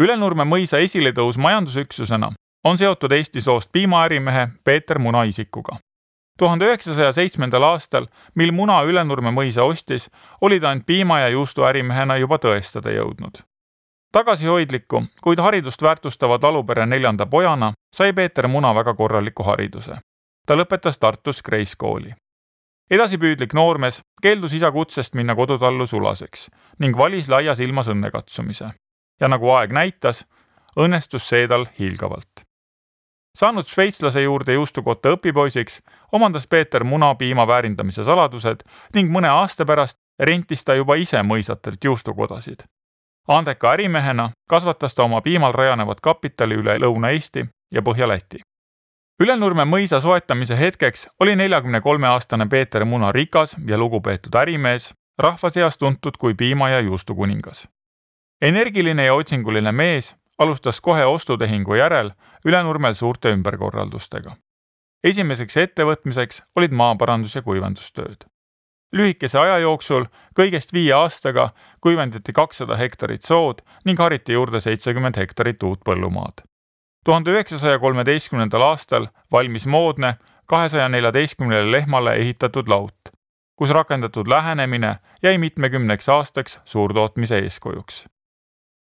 Ülenurme mõisa esiletõus majandusüksusena on seotud Eesti soost piimaärimehe Peeter Muna isikuga. 1907. aastal, mil Muna Ülenurme mõisa ostis, oli ta end piima- ja juustuärimehena juba tõestada jõudnud. Tagasihoidliku, kuid haridust väärtustava talupere 4. pojana sai Peeter Muna väga korraliku hariduse. Ta lõpetas Tartus Kreis kooli. Edasipüüdlik noormees keeldus isa kutsest minna kodutallu sulaseks ning valis laias ilmas õnne katsumise. Ja nagu aeg näitas, õnnestus see tal hiilgavalt. Saanud šveitslase juurde juustukotta õpipoisiks, omandas Peeter Muna piima väärindamise saladused ning mõne aasta pärast rentis ta juba ise mõisatelt juustukodasid. Andeka ärimehena kasvatas ta oma piimal rajanevat kapitali üle Lõuna-Eesti ja Põhja-Läti. Ülenurme mõisa soetamise hetkeks oli 43-aastane Peeter Muna rikas ja lugupeetud ärimees, rahva seas tuntud kui piima- ja juustukuningas. Energiline ja otsinguline mees alustas kohe ostutehingu järel Ülenurmel suurte ümberkorraldustega. Esimeseks ettevõtmiseks olid maaparandus- ja kuivendustööd. Lühikese aja jooksul, kõigest 5 aastaga, kuivendati 200 hektarit sood ning hariti juurde 70 hektarit uut põllumaad. 1913. aastal valmis moodne 214 lehmale ehitatud laut, kus rakendatud lähenemine jäi mitmekümneks aastaks suurtootmise eeskujuks.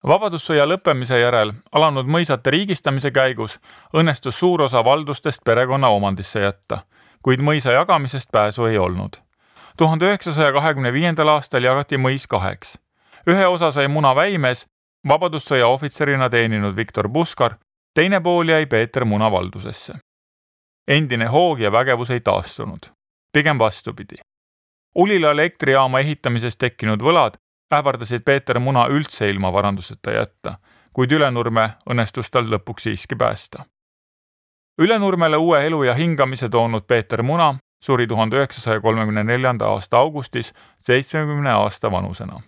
Vabadussõja lõppemise järel alanud mõisate riigistamise käigus õnnestus suur osa valdustest perekonna omandisse jätta, kuid mõisa jagamisest pääsu ei olnud. 1925. aastal jagati mõis 2. Ühe osa sai Muna väimees, vabadussõja ohvitserina teeninud Viktor Puskar, teine pool jäi Peeter Muna valdusesse. Endine hoog ja vägevus ei taastunud. Pigem vastupidi. Ulila elektrijaama ehitamisest tekkinud võlad ähvardasid Peeter Muna üldse ilma varanduseta jätta, kuid Ülenurme õnnestus tal lõpuks siiski päästa. Ülenurmele uue elu ja hingamise toonud Peeter Muna suri 1934. aasta augustis 70 aasta vanusena.